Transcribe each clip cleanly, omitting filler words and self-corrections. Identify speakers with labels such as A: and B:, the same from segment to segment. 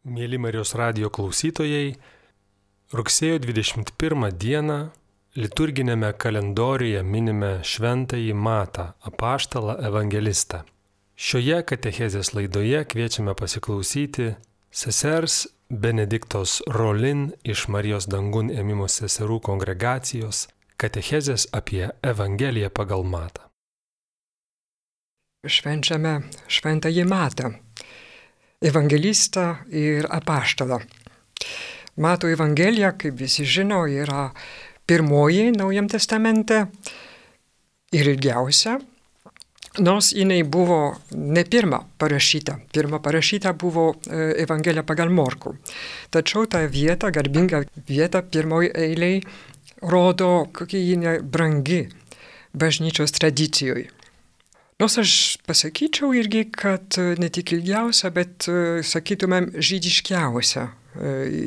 A: Mėly Marijos radijo klausytojai, rugsėjo 21 dieną liturginėme kalendoriuje minime Šventąjį Matą, apaštalą evangelistą. Šioje katechezės laidoje kviečiame pasiklausyti sesers Benediktos Rolin iš Marijos dangun ėmimo seserų kongregacijos katechezės apie Evangeliją pagal Matą.
B: Švenčiame Šventąjį Matą, evangelistą ir apaštalą. Mato Evangelija, kaip visi žino, yra pirmoji Naujam testamente ir ilgiausia, nors jinai buvo ne pirma parašyta. Pirma parašyta buvo Evangelija pagal Morkų. Tačiau ta vieta, garbinga vieta pirmoji eiliai, rodo, kokia ji brangi bažnyčios tradicijoje. Nors aš pasakyčiau irgi, kad ne tik ilgiausia, bet, sakytumėm, žydiškiausia.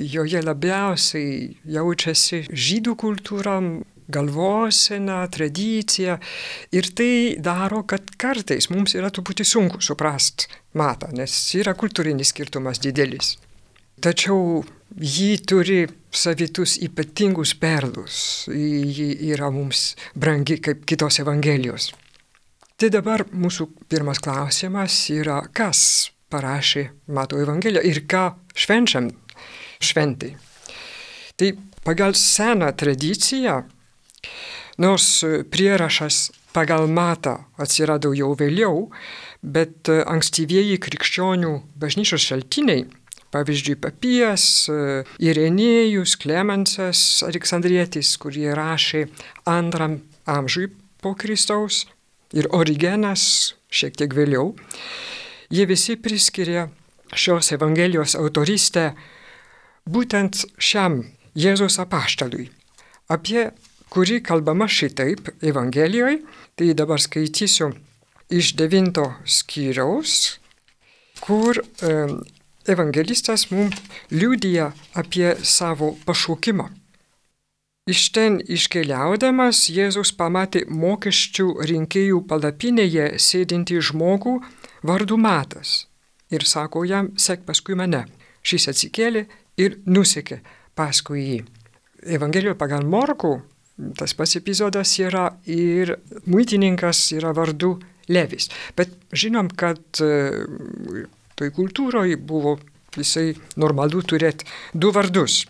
B: Joje labiausiai jaučiasi žydų kultūra, galvosena, tradicija. Ir tai daro, kad kartais mums yra truputį sunku suprasti Matą, nes yra kultūrinis skirtumas didelis. Tačiau ji turi savitus ypatingus perlus. Ji yra mums brangi kaip kitos Evangelijos. Tai dabar mūsų pirmas klausimas yra, kas parašė Mato Evangeliją ir ką švenčiam šventai. Tai pagal seną tradiciją, nors prierašas pagal Matą atsirado jau vėliau, bet ankstyvieji krikščionių bažnyčios šaltiniai, pavyzdžiui, Papijas, Irenėjus, Klemensas, Aleksandrietis, kurie rašė II amžiui po Kristaus, ir Origenas šiek tiek vėliau, jie visi priskiria šios Evangelijos autorystę būtent šiam Jėzaus apaštalui, apie kurį kalbama šitaip Evangelijoje. Tai dabar skaitysiu iš 9 skyriaus, kur evangelistas mums liudija apie savo pašaukimą. Iš ten iškeliaudamas Jėzus pamatė mokesčių rinkėjų palapinėje sėdintį žmogų vardu Matas ir sako jam, sek paskui mane. Šis atsikėlė ir nusekė paskui jį. Evangelijoje pagal Morkų tas pats epizodas yra ir muitininkas yra vardu Levis. Bet žinom, kad toj kultūroje buvo visai normalu turėti du vardus.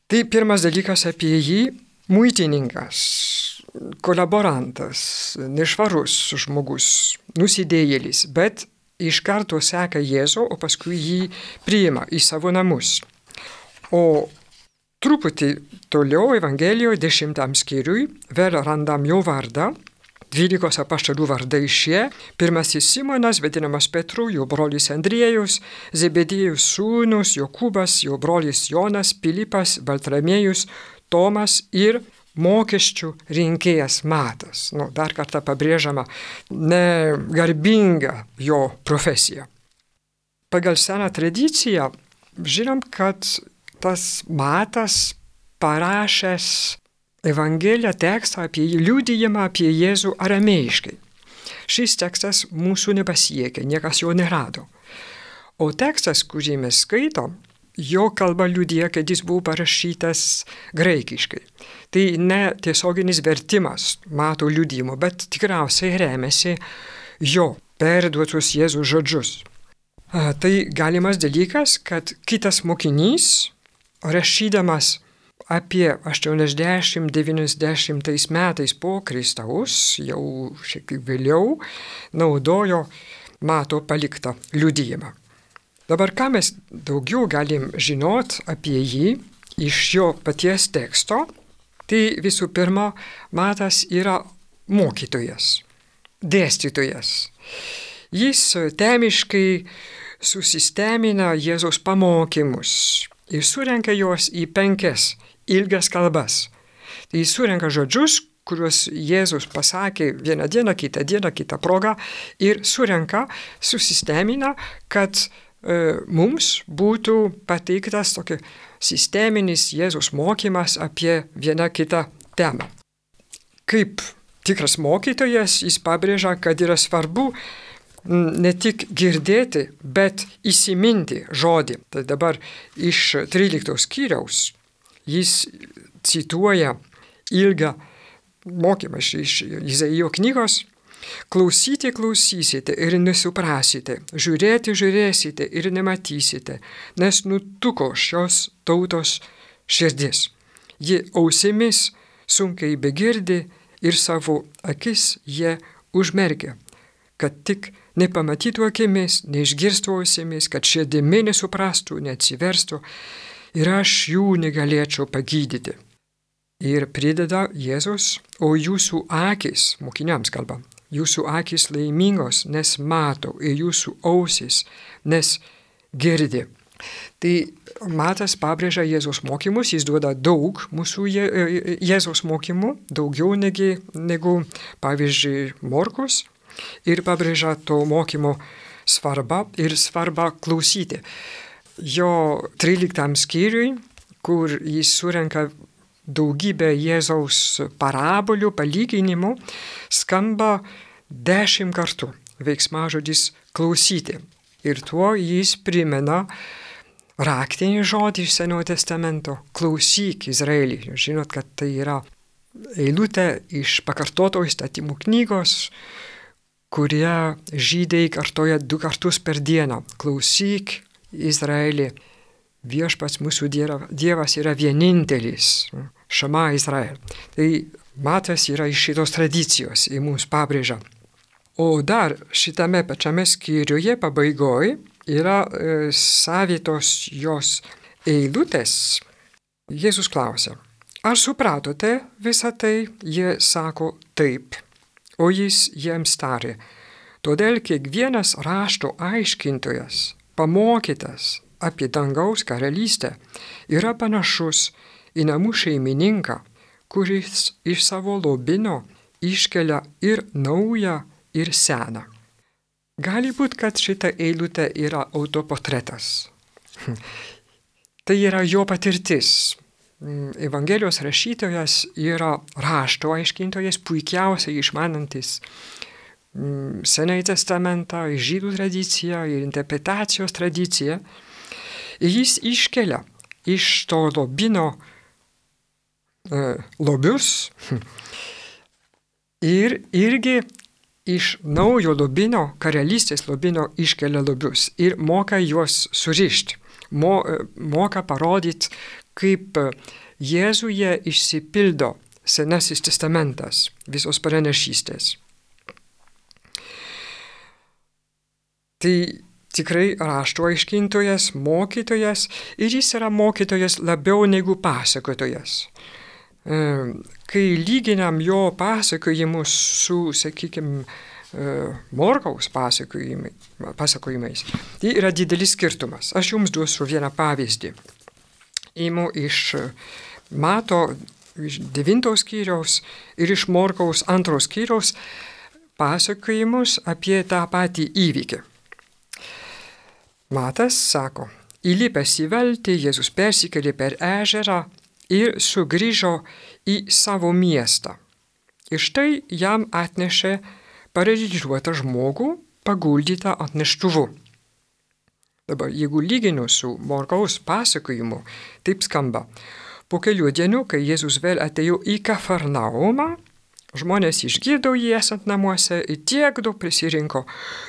B: Tai pirmas dalykas apie jį - muitininkas, kolaborantas, nešvarus žmogus, nusidėjėlis, bet iš karto seka Jėzų, o paskui jį priima į savo namus. O truputį toliau Evangelijoje 10 skyriui vėl randam jo vardą, 12 apaštalų vardai šie. Pirmasis Simonas, vadinamas Petru, jo brolis Andriejus, Zebedėjus sūnus, Jokūbas, jo brolis Jonas, Pilypas, Baltramiejus, Tomas ir mokesčių rinkėjas Matas. Dar kartą pabrėžiama, negarbinga jo profesija. Pagal seną tradiciją žinom, kad tas Matas parašęs Evangeliją tekstą apie liudijimą apie Jėzų aramėjiškai. Šis tekstas mūsų nepasiekė, niekas jo nerado. O tekstas, kurį mes skaitom, jo kalba liudija, kad jis buvo parašytas graikiškai. Tai ne tiesioginis vertimas Mato liudijimo, bet tikriausiai remiasi jo perduotus Jėzų žodžius. Tai galimas dalykas, kad kitas mokinys, rašydamas apie 80-90 metais po Kristaus, jau šiek tiek vėliau, naudojo Mato paliktą liudijimą. Dabar ką mes daugiau galim žinot apie jį iš jo paties teksto, tai visų pirma, Matas yra mokytojas, dėstytojas. Jis temiškai susistemina Jėzaus pamokymus ir surenka juos į 5 ilgas kalbas. Tai jis surenka žodžius, kuriuos Jėzus pasakė vieną dieną, kitą progą ir surenka, susistemina, kad mums būtų pateiktas tokia sisteminis Jėzus mokymas apie vieną kitą temą. Kaip tikras mokytojas, jis pabrėžia, kad yra svarbu ne tik girdėti, bet įsiminti žodį. Tai dabar iš 13 skyriaus jis cituoja ilgą mokymą iš Izaijo knygos. Klausyti klausysite ir nesuprasite, žiūrėti žiūrėsite ir nematysite, nes nutuko šios tautos širdis. Ji ausimis sunkiai begirdi ir savo akis jie užmerkia, kad tik nepamatytų akimis, neišgirstų ausimis, kad širdimi nesuprastų, neatsiverstų ir aš jų negalėčiau pagydyti. Ir prideda Jėzus, o jūsų akis, mokiniams kalba, jūsų akis laimingos, nes mato, ir jūsų ausis, nes girdi. Tai Matas pabrėžia Jėzaus mokymus, jis duoda daug mūsų Jėzaus mokymų, daugiau negu pavyzdžiui, Morkus, ir pabrėžia to mokymo svarbą ir svarbą klausyti. Jo 13 skyriui, kur jis surenka daugybę Jėzaus parabolių, palyginimų, skamba 10 kartų veiksmažodis klausyti. Ir tuo jis primena raktinį žodį iš Senojo testamento – klausyk Izraelį. Žinot, kad tai yra eilutė iš pakartoto įstatymų knygos, kurie žydai kartoja 2 kartus per dieną. Klausyk Izraelį. Viešpats mūsų Dievas yra vienintelis. Šama Izrael. Tai Matas yra iš šitos tradicijos ir mums pabrėžia. O dar šitame pačiame skyriuje pabaigoje yra savitos jos eilutės. Jėzus klausia, ar supratote visą tai? Jie sako taip. O jis jiems tarė, todėl kiekvienas rašto aiškintojas, pamokytas apie dangaus karalystę, yra panašus į namų šeimininką, kuris iš savo lobino iškelia ir naują, ir seną. Gali būti, kad šita eilutė yra autoportretas. Tai yra jo patirtis. Evangelijos rašytojas yra rašto aiškintojas, puikiausiai išmanantis Senąjį testamentą, žydų tradiciją ir interpretacijos tradiciją. Ir jis iškelia iš to lobino lobius ir irgi iš naujo lobino, karalystės lobino iškelia lobius ir moka juos surišti, moka parodyti, kaip Jėzuje išsipildo Senasis testamentas, visos pranašystės. Tai tikrai rašto aiškintojas, mokytojas ir jis yra mokytojas labiau negu pasakotojas. Kai lyginam jo pasakojimus su, sakykime, Morkaus pasakojimais, tai yra didelis skirtumas. Aš jums duosiu vieną pavyzdį. Imu iš Mato 9 skyriaus ir iš Morkaus 2 skyriaus pasakojimus apie tą patį įvykį. Matas sako, įlipęs į valtį, Jėzus persikėlė per ežerą ir sugrįžo į savo miestą. Ir štai jam atnešė paralyžiuotą žmogų, paguldytą ant neštuvų. Dabar, jeigu lyginu su Morkaus pasakojimu, taip skamba. Po kelių dienų, kai Jėzus vėl atėjo į Kafarnaumą, žmonės išgirdo jį esant namuose ir tiek daug prisirinko,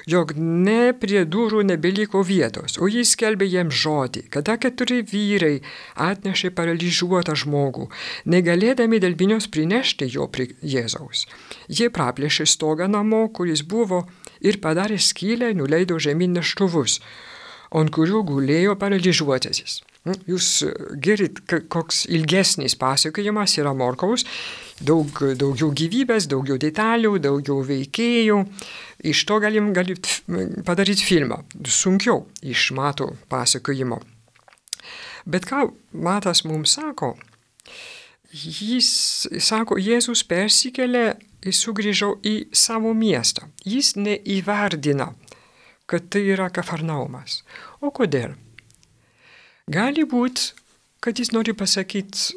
B: jog ne prie durų nebeliko vietos, o jis skelbė jiems žodį, kada 4 vyrai atnešė paralyžiuotą žmogų, negalėdami dėl minios prinešti jo prie Jėzaus. Jie praplėšė stogą namo, kuris buvo, ir padarė skylę, nuleido žemyn neštuvus, ant kurių gulėjo paralyžiuotasis. Jūs girdit, koks ilgesnis pasakojimas yra Morkaus, daugiau gyvybės, daugiau detalių, daugiau veikėjų. Iš to galim padaryti filmą, sunkiau iš Mato pasakojimo. Bet ką Matas mums sako? Jis sako, Jėzus persikėlė ir sugrįžo į savo miestą. Jis neįvardina, kad tai yra Kafarnaumas. O kodėl? Gali būti, kad jis nori pasakyti,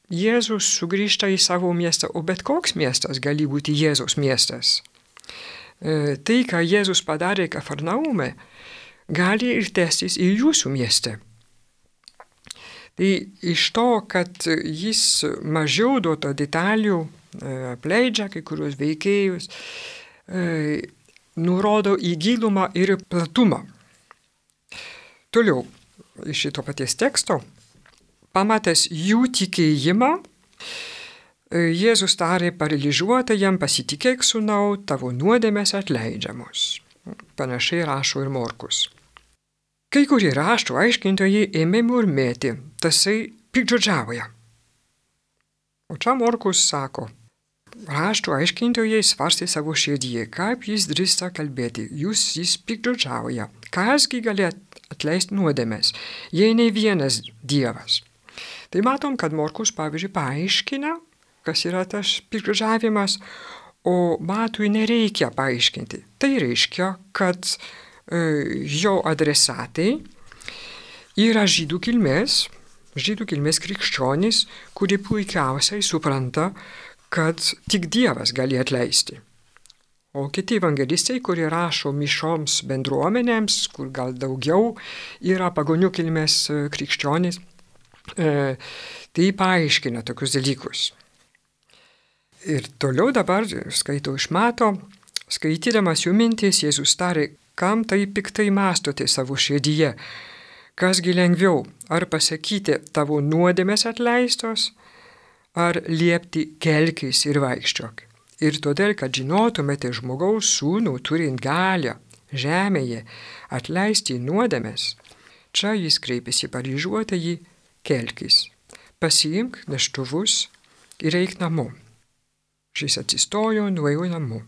B: Jėzus sugrįžta į savo miestą, o bet koks miestas gali būti Jėzaus miestas. tai, ką Jėzus padarė Kafarnaume, gali ir tęstis ir jūsų mieste. Tai iš to, kad jis mažiau duoto detalių apleidžia kai kurios veikėjus, nurodo į gilumą ir platumą. Toliau, iš šito paties teksto, pamatęs jų tikėjimą, Jėzus tarė paralyžiuotajam, pasitikėk sūnau, tavo nuodėmės atleidžiamos. Panašiai rašo ir Morkus. Kai kurie rašto aiškintojai ėmė murmėti, tasai piktžodžiauja. O čia Morkus sako, rašto aiškintojai svarstė savo širdyje, kaip jis drįsta kalbėti, jis piktžodžiauja, kasgi gali atleisti nuodėmės, jei ne vienas Dievas. Tai matom, kad Morkus, pavyzdžiui, paaiškina, kas yra tas piktžodžiavimas, o Matui nereikia paaiškinti. Tai reiškia, kad jo adresatai yra žydų kilmės krikščionys, kurie puikiausiai supranta, kad tik Dievas gali atleisti. O kiti evangelistai, kurie rašo mišoms bendruomenėms, kur gal daugiau yra pagonių kilmės krikščionys, tai paaiškina tokius dalykus. Ir toliau dabar skaitau iš Mato, skaitydamas jų mintis, Jėzus tarė, kam tai piktai mąstote savo širdyje, kasgi lengviau, ar pasakyti tavo nuodėmės atleistos, ar liepti kelkis ir vaikščiok. Ir todėl, kad žinotumėte žmogaus sūnų turint galią žemėje atleisti nuodėmės, čia jis kreipėsi paralyžiuotąjį, kelkis, pasiimk neštuvus ir eik namo. Šis atsistojo, nuėjo namo.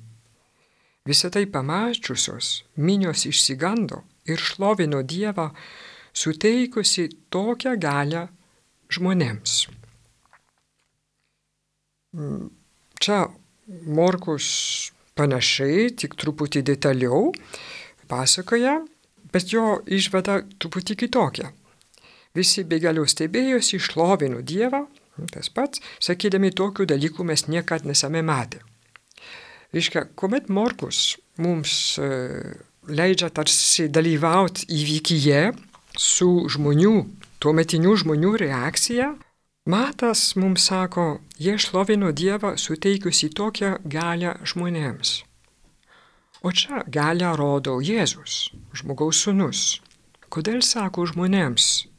B: Visą tai pamačiusios minios išsigando ir šlovino Dievą, suteikusi tokią galią žmonėms. Čia Morkus panašiai, tik truputį detaliau pasakoja, bet jo išvada truputį kitokia. Visi be galo stebėjosi, šlovino Dievą, tas pats, sakydami tokių dalykų mes niekad nesame matę. Reiškia, kuomet Morkus mums leidžia tarsi dalyvauti įvykyje su žmonių, tuometinių žmonių reakcija, Matas mums sako, jie šlovino Dievą suteikusi tokią galią žmonėms. O čia galią rodo Jėzus, žmogaus sūnus. Kodėl sako žmonėms?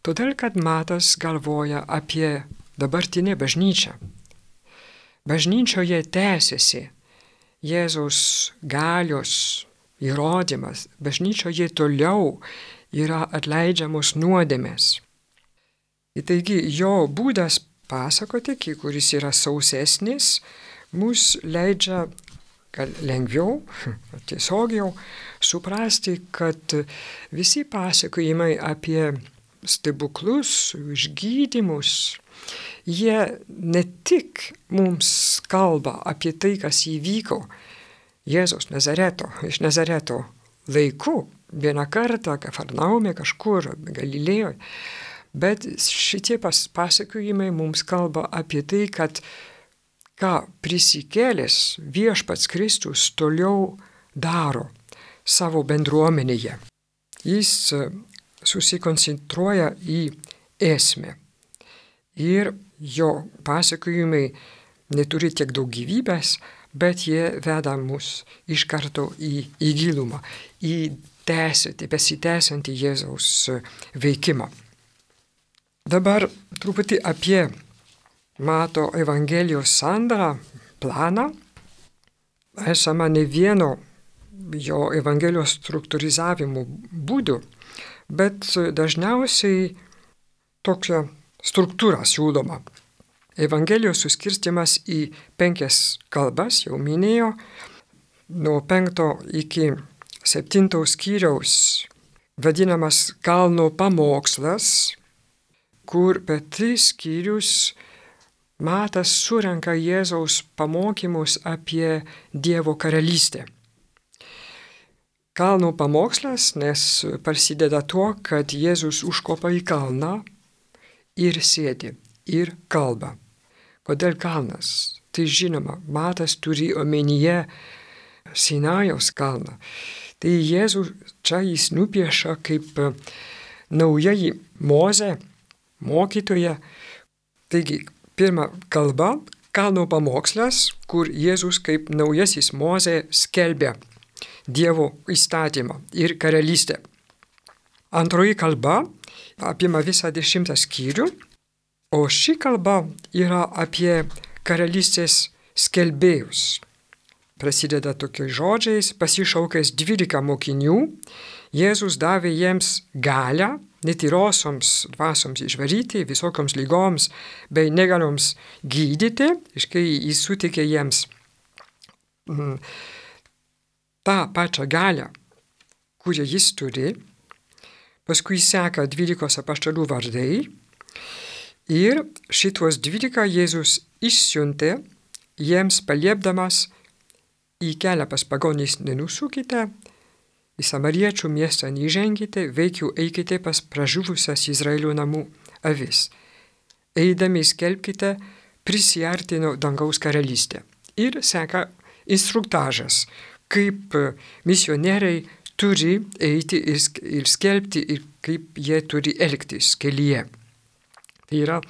B: Todėl, kad Matas galvoja apie dabartinę bažnyčią. Bažnyčioje tęsiasi Jėzaus galios įrodymas. Bažnyčioje toliau yra atleidžiamos nuodėmės. Ir taigi jo būdas pasakoti, kuris yra sausesnis, mus leidžia gal lengviau, tiesiogiau suprasti, kad visi pasakojimai apie stebuklus, išgydymus, jie ne tik mums kalba apie tai, kas įvyko Jėzaus iš Nazareto laikų, vieną kartą Kafarnaume kažkur Galilėjoje, bet šitie pasakojimai mums kalba apie tai, kad ką prisikėlęs viešpats Kristus toliau daro savo bendruomenėje. Jis susikoncentruoja į esmę. Ir jo pasakojimai neturi tiek daug gyvybės, bet jie veda mus iš karto į gilumą, į besitęsiantį Jėzaus veikimą. Dabar truputį apie Mato Evangelijos sandarą, planą. Esama ne vieno jo Evangelijos struktūrizavimo būdų, bet dažniausiai tokia struktūra siūloma. Evangelijos suskirstimas į 5 kalbas, jau minėjo, nuo 5 iki 7 skyriaus vadinamas kalno pamokslas, kur per 3 skyrius Matas surenka Jėzaus pamokymus apie Dievo karalystę. Kalno pamokslas, nes prasideda tuo, kad Jėzus užkopa į kalną ir sėdi ir kalba. Kodėl kalnas? Tai žinoma, Matas turi omenyje Sinajaus kalną. Tai Jėzus čia jis nupiešia kaip naująjį Mozę, mokytoją. Taigi, pirma kalba, kalno pamokslas, kur Jėzus kaip naujasis Mozė skelbia Dievo įstatymą ir karalystę. Antroji kalba apima visą 10 skyrių, o ši kalba yra apie karalystės skelbėjus. Prasideda tokiais žodžiais, pasišaukęs 12 mokinių, Jėzus davė jiems galią netyrosioms dvasioms išvaryti, visokioms lygoms bei negalioms gydyti, kai jis suteikė jiems tą pačią galią, kurią jis turi. Paskui seka 12 apaštalų vardai ir šitos 12 Jėzus išsiuntė jiems paliepdamas į kelią pas pagonis nenusukite, į samariečių miestą neįženkite, veikiau eikite pas pražuvusias Izraelio namų avis. Eidami skelbkite, prisiartino dangaus karalystė. Ir seka instruktažas, kaip misionieriai turi eiti ir skelbti ir kaip jie turi elgtis kelyje. Tai yra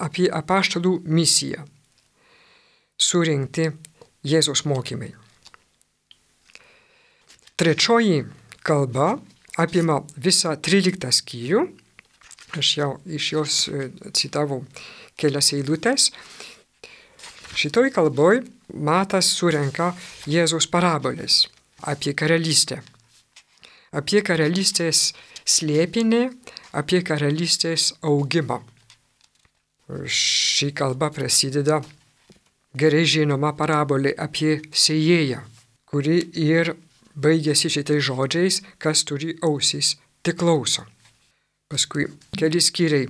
B: apie apaštalų misiją surinkti Jėzaus mokymai. Trečioji kalba apima visą 13 skyrių. Aš jau iš jos citavau kelias eilutes. Šitoj kalboj Matas surenka Jėzaus parabolės apie karalystę. Apie karalystės slėpinį, apie karalystės augimą. Ši kalba prasideda gerai žinoma parabolė apie sėjėją, kuri ir baigėsi šitais žodžiais, kas turi ausis, tik klauso. Paskui keli skyriai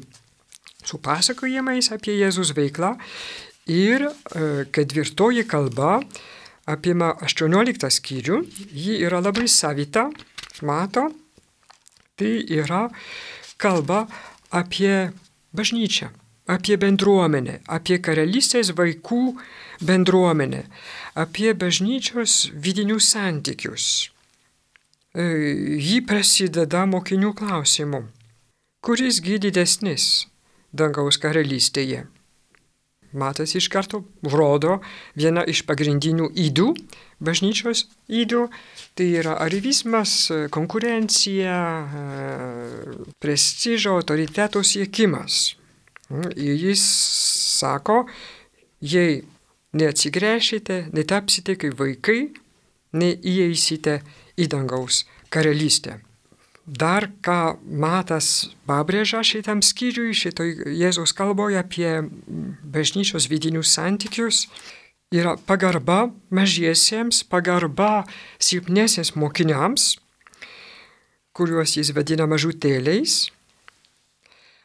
B: su pasakojimais apie Jėzus veiklą ir 4 kalba apima 18 skyrių, ji yra labai savita, mato, tai yra kalba apie bažnyčią, apie bendruomenę, apie karalystės vaikų bendruomenę, apie bažnyčios vidinius santykius. Ji prasideda mokinių klausimu, kurisgi didesnis dangaus karalystėje. Matas iš karto rodo vieną iš pagrindinių ydų, bažnyčios ydų, tai yra arivizmas, konkurencija, prestižo, autoriteto siekimas. Ir jis sako, jei neatsigręšite, netapsite kaip vaikai, neįeisite į dangaus karalystę. Dar ką Matas pabrėžia šitam skyriui, šitoj Jėzaus kalboje apie bažnyčios vidinius santykius, yra pagarba mažiesiems, pagarba silpnesiems mokiniams, kuriuos jis vadina mažutėliais,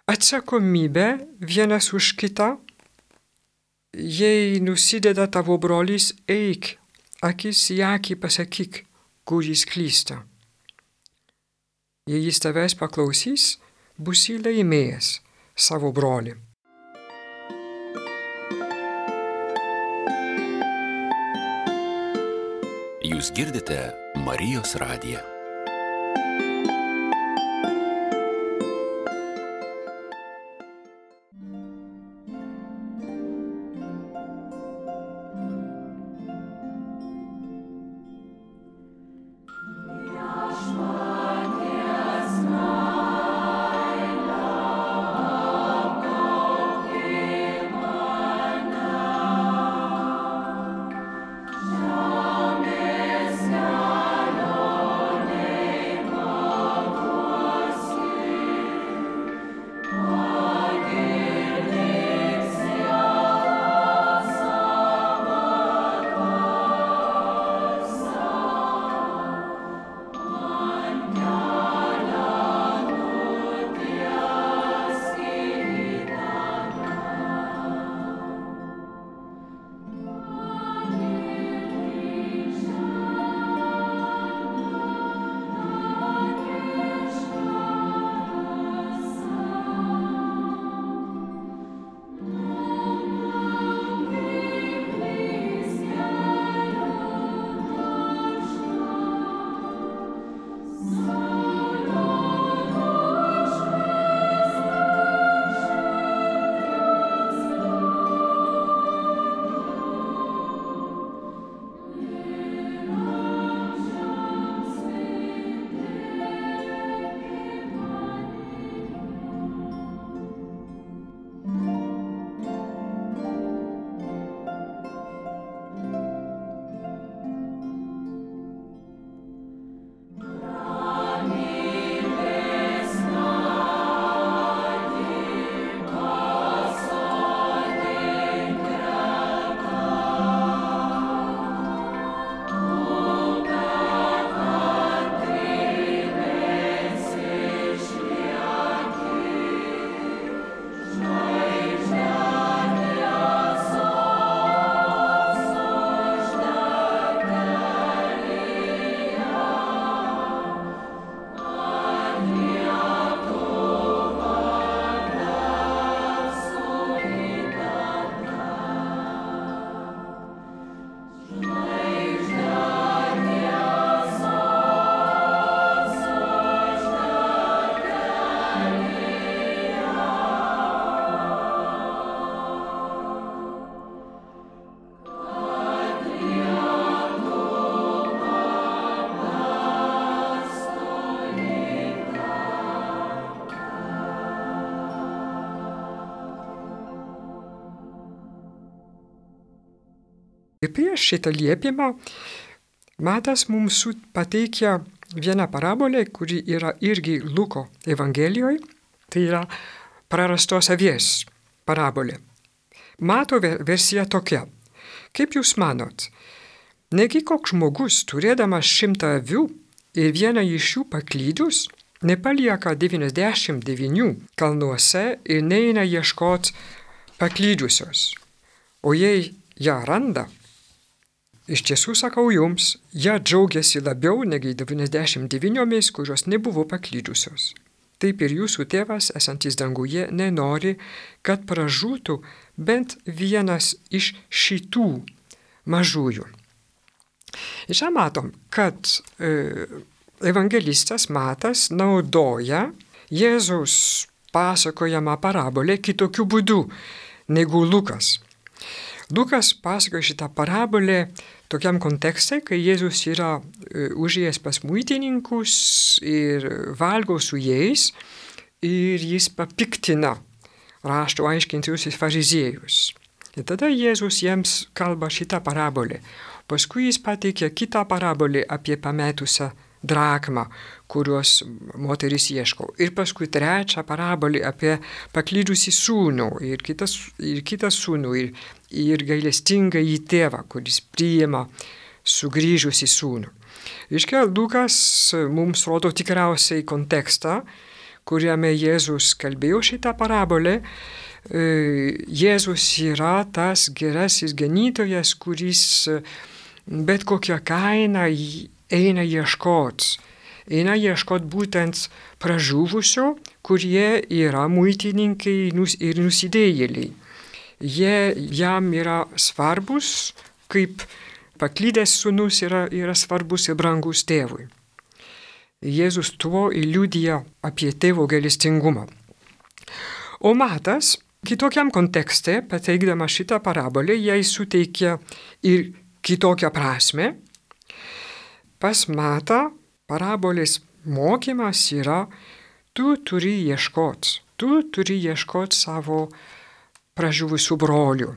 B: atsakomybė vienas už kitą, jei nusideda tavo brolis, eik, akis į akį pasakyk, kur jis klysta. Jei jis tavęs paklausys, būsi laimėjęs savo brolį.
C: Jūs girdite Marijos radiją.
B: Ir prieš šitą liepimą Matas mums pateikia vieną parabolę, kuri yra irgi Luko Evangelijoje, tai yra prarastos avies parabolė. Mato versija tokia. Kaip jūs manot, negi koks žmogus, turėdamas 100 avių ir vieną iš jų paklydus, nepalieka 99 kalnuose ir neina ieškoti paklydusios. O jei ją randa, iš tiesų sakau jums, ją džiaugiasi labiau negi 99, kurios nebuvo paklydusios. Taip ir jūsų tėvas, esantis danguje, nenori, kad pražūtų bent vienas iš šitų mažųjų. Ir čia matom, kad evangelistas Matas naudoja Jėzaus pasakojamą parabolę kitokiu būdu negu Lukas. Lukas pasakoja šitą parabolę tokiam kontekste, kai Jėzus yra užėjęs pas muitininkus ir valgo su jais ir jis papiktina rašto aiškintojus ir fariziejus. Ir tada Jėzus jiems kalba šitą parabolę. Paskui jis pateikia kitą parabolę apie pametusią drakmą, kurios moteris ieško. Ir paskui trečią parabolę apie paklydusį sūnų ir kitą sūnų ir gailestingą į tėvą, kuris priima sugrįžusį sūnų. Iškia, Lukas mums rodo tikriausiai kontekstą, kuriame Jėzus kalbėjo šitą parabolę. Jėzus yra tas gerasis ganytojas, kuris bet kokią kainą eina ieškot būtent pražuvusio, kurie yra muitininkai ir nusidėjėliai. Jie jam yra svarbus, kaip paklydęs sūnus yra svarbus ir brangus tėvui. Jėzus tuo liudija apie tėvo gailestingumą. O Matas kitokiam kontekste, pateikdama šitą parabolę, jai suteikia ir kitokią prasme. Pas Matą parabolės mokymas yra, tu turi ieškoti savo pražuvusių brolių.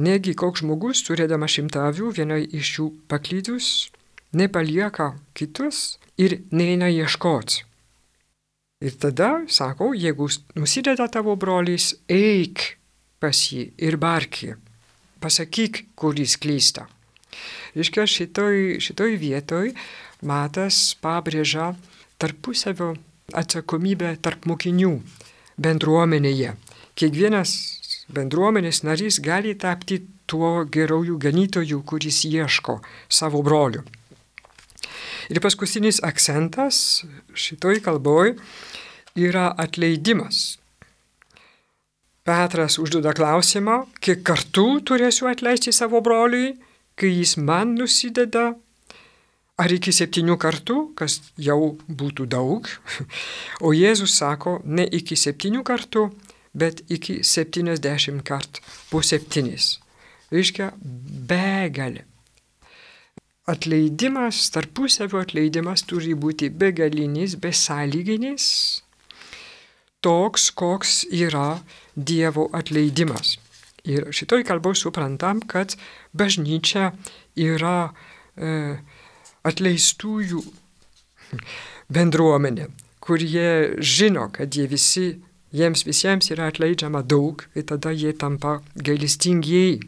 B: Negi koks žmogus, turėdama 100 avių, viena iš jų paklydus, nepalieka kitus ir neina ieškoti. Ir tada, sako, jeigu nusideda tavo brolis, eik pas jį ir barki, pasakyk, kur jis klysta. Reiškia, šitoj vietoj Matas pabrėžia tarpusavio atsakomybę tarp mokinių bendruomenėje. Kiekvienas bendruomenės narys gali tapti tuo gerųjų ganytojų, kuris ieško savo brolių. Ir paskutinis akcentas šitoj kalboj yra atleidimas. Petras užduoda klausimą, kiek kartų turėsiu atleisti savo broliui, kai jis man nusideda, ar iki 7 kartų, kas jau būtų daug. O Jėzus sako, ne iki 7 kartų, bet iki 70 kartų po 7. Reiškia, begalė. Atleidimas, tarpusavio atleidimas turi būti begalinis, besąlyginis, toks, koks yra Dievo atleidimas. Ir šitoj kalboj suprantam, kad bažnyčia yra atleistųjų bendruomenė, kurie žino, kad jiems visiems yra atleidžiama daug ir tada jie tampa gailestingi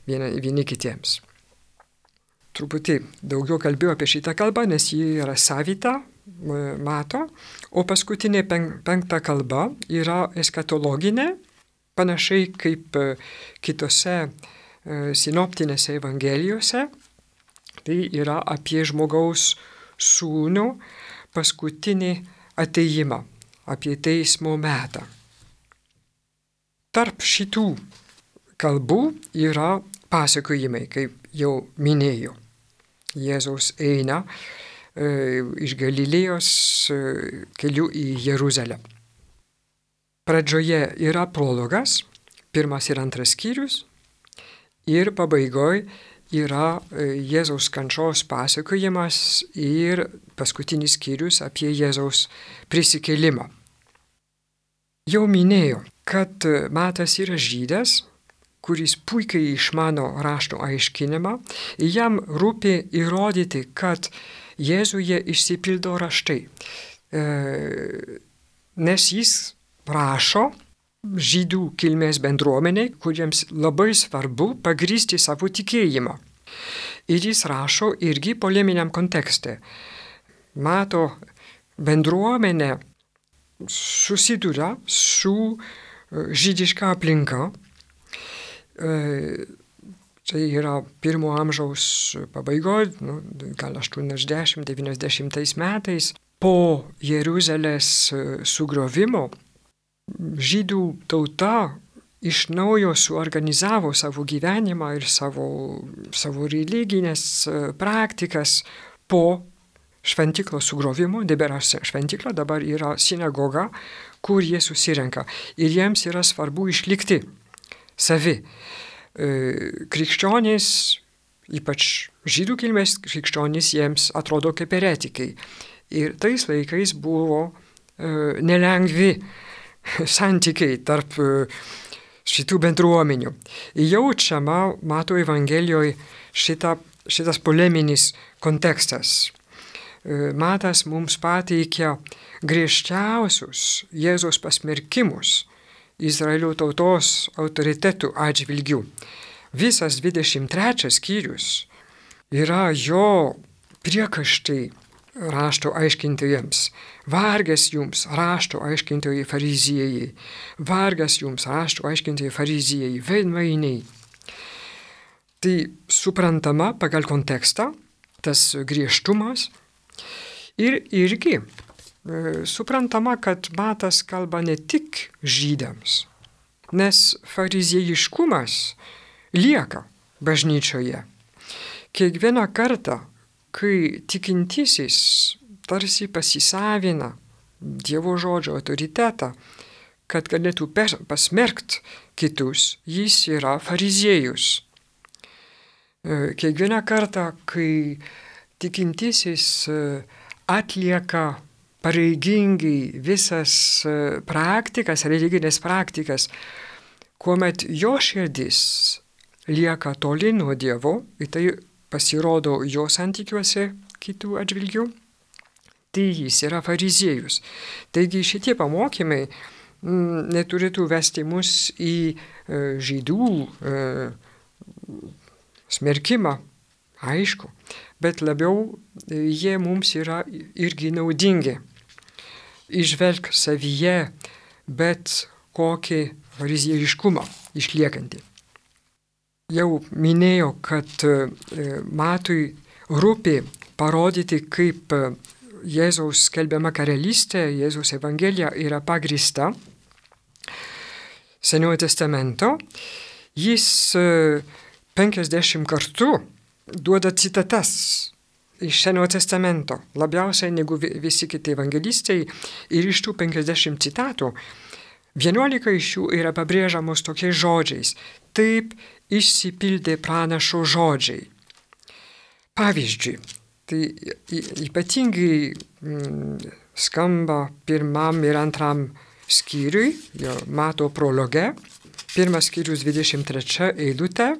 B: vieni kitiems. Truputį daugiau kalbėjau apie šitą kalbą, nes ji yra savita, Mato, o paskutinė 5 kalba yra eskatologinė, panašiai kaip kitose sinoptinėse evangelijose. Tai yra apie žmogaus sūnų paskutinį atėjimą, apie teismo metą. Tarp šitų kalbų yra pasakojimai, kaip jau minėjau. Jėzaus eina iš Galilėjos keliu į Jeruzalę. Pradžioje yra prologas, 1 ir 2 skyrius, ir pabaigoje yra Jėzaus kančios pasakojimas ir paskutinis skyrius apie Jėzaus prisikėlimą. Jau minėjau, kad Matas yra žydas kuris puikiai išmano rašto aiškinimą, jam rūpi įrodyti, kad Jėzuje išsipildo raštai. Nes jis rašo žydų kilmės bendruomeniai, kuriems labai svarbu pagrįsti savo tikėjimą. Ir jis rašo irgi poleminiam kontekste. Mato bendruomenė susiduria su žydiška aplinka. Tai yra 1 amžiaus pabaigoje, gal 80-90 metais, po Jeruzalės sugriovimo, žydų tauta iš naujo suorganizavo savo gyvenimą ir savo religinės praktikas po šventyklos sugriovimo. Nebėra šventykla, dabar yra sinagoga, kur jie susirenka. Ir jiems yra svarbu išlikti savi. Krikščionys, ypač žydų kilmės krikščionys, jiems atrodo kaip eretikai. Ir tais laikais buvo nelengvi santykiai tarp šitų bendruomenių. Jaučiama Mato Evangelijoje šitas poleminis kontekstas. Matas mums pateikia griežčiausius Jėzaus pasmerkimus Izraelio tautos autoritetų atžvilgių. Visas 23 skyrius yra jo priekaištai rašto aiškintojams. Vargas jums, rašto aiškintojai fariziejai. Vargas jums, rašto aiškintojai fariziejai, veidmainiai. Tai suprantama pagal kontekstą, tas griežtumas. Ir irgi suprantama, kad Matas kalba ne tik žydams, nes fariziejiškumas lieka bažnyčioje. Kiekvieną kartą, kai tikintysis tarsi pasisavina Dievo žodžio autoritetą, kad galėtų pasmerkti kitus, jis yra fariziejus. Kiekvieną kartą, kai tikintysis atlieka pareigingai visas praktikas, religinės praktikas, kuomet jo širdis lieka toli nuo Dievo, ir tai pasirodo jo santykiuose kitų atžvilgių, tai jis yra fariziejus. Taigi šitie pamokymai neturėtų vesti mus į žydų smerkimą, aišku, bet labiau jie mums yra irgi naudingi. Išvelk savyje bet kokį fariziejiškumą išliekantį. Jau minėjau, kad Matui rūpi parodyti, kaip Jėzaus skelbiama karalystė, Jėzaus Evangelija yra pagrįsta Senojo testamento. Jis 50 kartų duoda citatas iš Senojo testamento, labiausiai negu visi kiti evangelistai, ir iš tų 50 citatų 11 iš jų yra pabrėžiamos tokiais žodžiais. Taip išsipildė pranašo žodžiai. Pavyzdžiui, tai ypatingai skamba 1 ir 2 skyriui, Mato prologe, 1 skyrius 23 eilutė,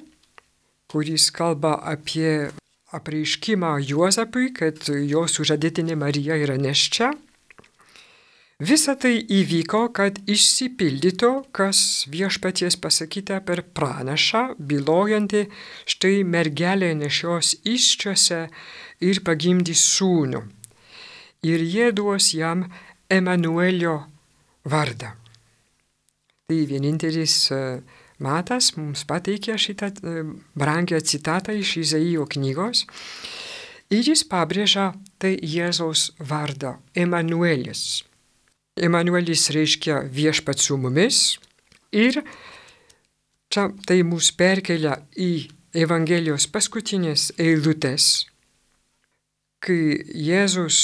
B: kuris kalba apie apreiškimą Juozapui, kad jo sužadėtinė Marija yra nėščia. Visa tai įvyko, kad išsipildytų, kas viešpaties pasakyta per pranašą, bylojantį, štai mergelė nešios įsčiose ir pagimdys sūnų. Ir jie duos jam Emanuelio vardą. Tai vienintelis Matas mums pateikė šitą brangią citatą iš Izaijo knygos. Ir jis pabrėžia tai Jėzaus vardą Emanuelis. Emanuelis reiškia viešpats su mumis, ir čia tai mus perkelia į Evangelijos paskutinės eilutės, kai Jėzus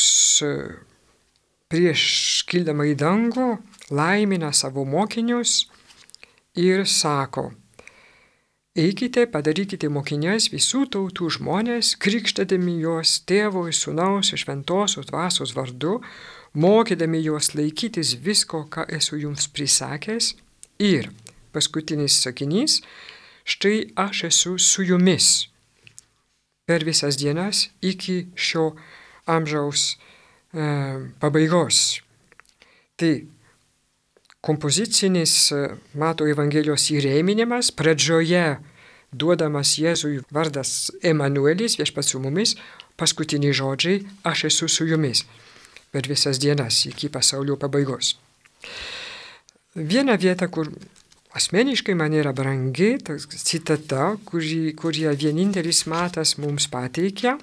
B: prieš kildama į dangų laimina savo mokinius ir sako: eikite, padarykite mokiniais visų tautų žmonės, krikštydami juos Tėvo ir Sūnaus ir Šventosios Dvasios vardu, mokydami juos laikytis visko, ką esu jums prisakęs. Ir paskutinis sakinys: štai aš esu su jumis per visas dienas iki šio amžiaus pabaigos. Tai kompozicinis Mato Evangelijos įrėminimas, pradžioje duodamas Jėzui vardas Emanuelis, viešpats su mumis, paskutiniai žodžiai, aš esu su jumis per visas dienas iki pasaulio pabaigos. Viena vieta, kur asmeniškai man yra brangi, ta citata, kurią vienintelis Matas mums pateikia,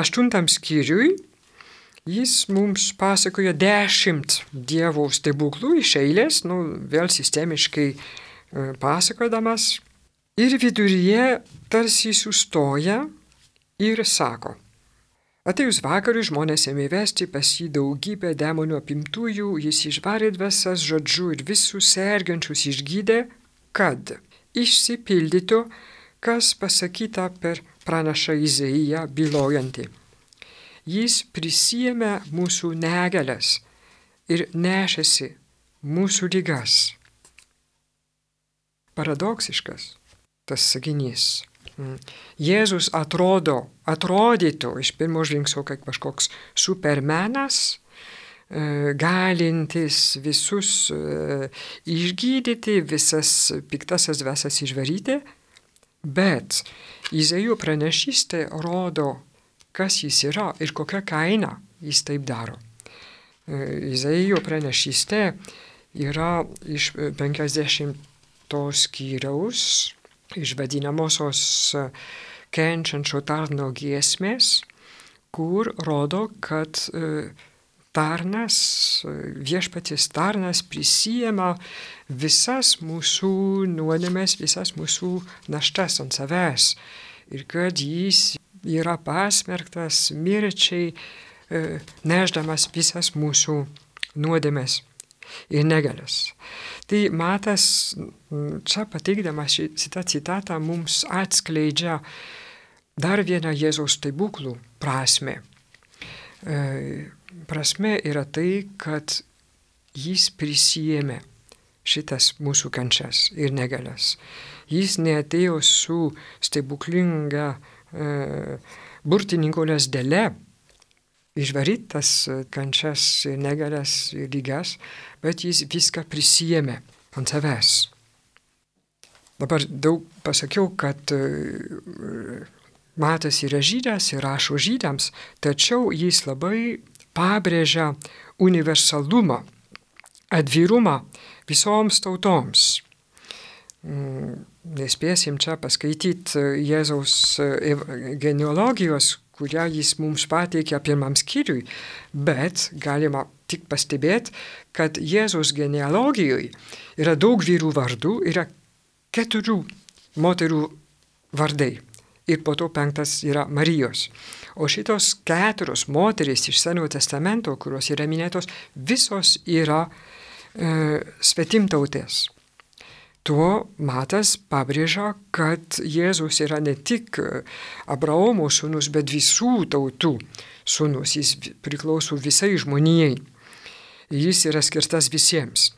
B: 8 skyriui, jis mums pasakoja 10 Dievo stebuklų iš eilės, vėl sistemiškai pasakodamas, ir viduryje tarsi sustoja ir sako: atėjus vakarui žmonės ėmė vesti pas jį daugybę demonų apimtųjų, jis išvarė dvasias žodžiu ir visus sergančius išgydė, kad išsipildytų, kas pasakyta per pranašą Izaiją bylojantį. Jis prisiėmė mūsų negalias ir nešėsi mūsų ligas. Paradoksiškas tas sakinys. Jėzus atrodytų iš pirmo žvilgsnio kaip kažkoks supermenas, galintis visus išgydyti, visas piktasias dvasias išvaryti, bet Izaijo pranašystė rodo, kas jis yra ir kokią kainą jis taip daro. Izaijo pranašystė yra iš 50 skyriaus, iš vadinamosios kenčiančio tarno giesmės, kur rodo, kad tarnas, viešpaties tarnas prisiema visas mūsų nuodėmes, visas mūsų naštas ant savęs ir kad jis yra pasmerktas mirčiai, nešdamas visas mūsų nuodėmes ir negalias. Tai Matas čia pateikdamas šitą citatą mums atskleidžia dar vieną Jėzaus stebuklų prasmę. Prasmė yra tai, kad jis prisijėmė šitas mūsų kančias ir negalias. Jis neatėjo su stebuklinga burtininko lazdele išvaryti tas kančias ir negalias ir ligas, bet jis viską prisijėmė ant savęs. Dabar daug pasakiau, kad Matas yra žydas ir rašo žydams, tačiau jis labai pabrėžia universalumą, atvirumą visoms tautoms. Nespėsim čia paskaityti Jėzaus genealogijos, kurią jis mums pateikė pirmam skyriui, bet galima tik pastebėti, kad Jėzaus genealogijoje yra daug vyrų vardų, yra 4 moterų vardai ir po to 5 yra Marijos. O šitos 4 moterys iš Senojo testamento, kurios yra minėtos, visos yra svetimtautės. Tuo Matas pabrėžia, kad Jėzus yra ne tik Abraomo sūnus, bet visų tautų sūnus. Jis priklauso visai žmonijai. Jis yra skirtas visiems.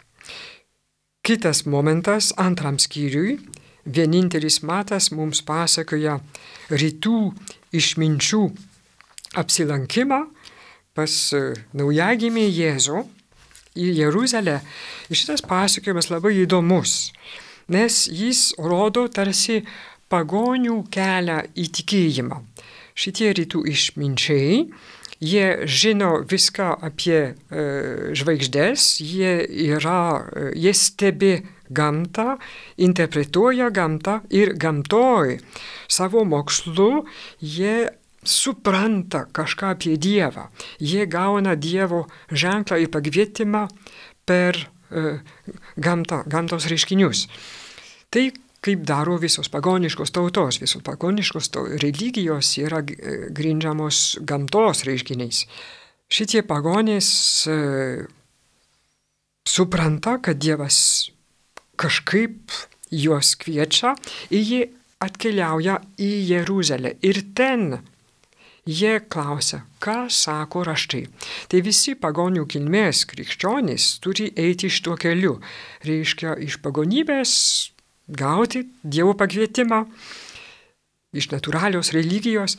B: Kitas momentas, 2 skyriui, vienintelis Matas mums pasakoja rytų išminčių apsilankimą pas naujagimį Jėzų į Jeruzalę. Ir šitas pasakojimas labai įdomus, nes jis rodo tarsi pagonių kelią į tikėjimą. Šitie rytų išminčiai, jie žino viską apie žvaigždės, jie stebi gamtą, interpretuoja gamtą ir gamtoj savo mokslu jie supranta kažką apie Dievą. Jie gauna Dievo ženklą ir pakvietimą per gamtos reiškinius. Tai kaip daro visos pagoniškos tautos. Visos pagoniškos religijos yra grindžiamos gamtos reiškiniais. Šitie pagonys supranta, kad Dievas kažkaip juos kviečia ir jie atkeliauja į Jeruzalę. Ir ten jie klausia, ką sako raštai. Tai visi pagonių kilmės krikščionys turi eiti šituo keliu. Reiškia, iš pagonybės gauti Dievo pakvietimą iš natūralios religijos,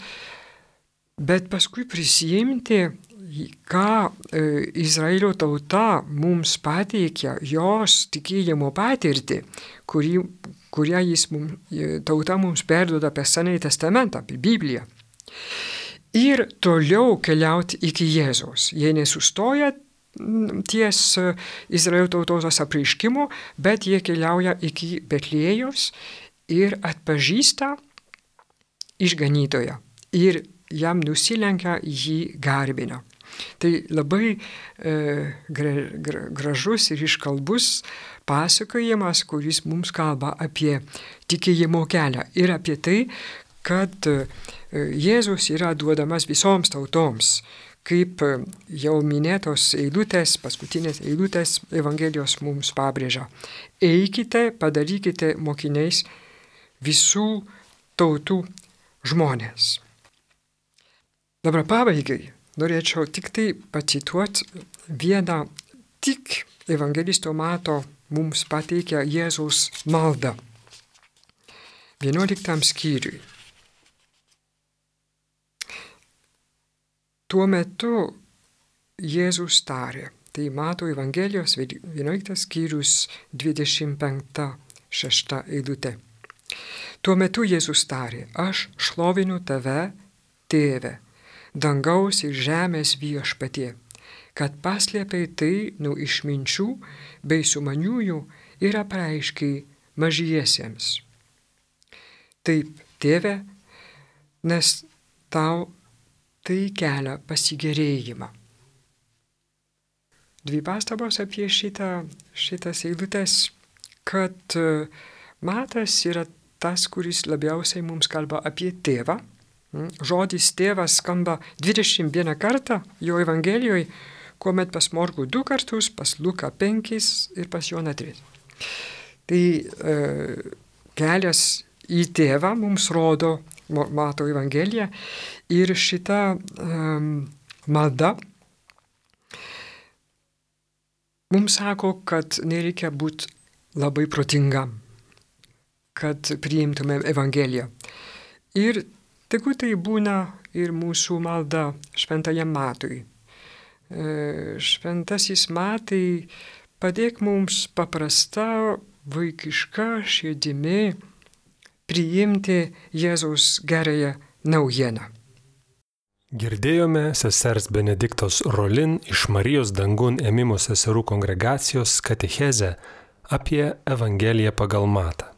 B: bet paskui prisijimti, ką Izraelio tauta mums pateikia, jos tikėjimo patirtį, kurią tauta mums perduoda per Senąjį testamentą, apie Bibliją. Ir toliau keliauti iki Jėzaus. Jie nesustoja ties Izraelio tautos apreiškimu, bet jie keliauja iki Betlėjaus ir atpažįsta išganytoją. Ir jam nusilenkia, jį garbina. Tai labai gražus ir iškalbus pasakojimas, kuris mums kalba apie tikėjimo kelią ir apie tai, kad Jėzus yra duodamas visoms tautoms, kaip jau minėtos eilutės, paskutinės eilutės Evangelijos mums pabrėžia. Eikite, padarykite mokiniais visų tautų žmonės. Dabar pabaigai norėčiau tik tai pacituoti vieną tik evangelisto Mato mums pateikia Jėzaus maldą. 11 skyriui. Tuo metu Jėzus tarė, tai Mato Evangelijos 11 skyrius 25-6 eilutė. Tuo metu Jėzus tarė, aš šlovinu tave, Tėve, dangaus ir žemės viešpatie, kad paslėpei tai nuo išminčių bei sumaniųjų ir apreiškiai mažiesiems. Taip, Tėve, nes tau tai kelia pasigerėjimą. Dvi pastabos apie šitas eilutes, kad Matas yra tas, kuris labiausiai mums kalba apie tėvą. Žodis tėvas skamba 21 kartą jo Evangelijoje, kuomet pas Morkų 2 kartus, pas Luką 5 ir pas Joną 3. Tai kelias į tėvą mums rodo Mato Evangelija ir šita malda mums sako, kad nereikia būti labai protingam, kad priimtumėm Evangeliją. Ir tegu tai būna ir mūsų malda šventajam Matui. Šventasis Matai, padėk mums paprasta, vaikiška širdimi priimti Jėzaus gerąją naujieną.
A: Girdėjome sesers Benediktos Rolin iš Marijos dangun ėmimo seserų kongregacijos katechezę apie Evangeliją pagal Matą.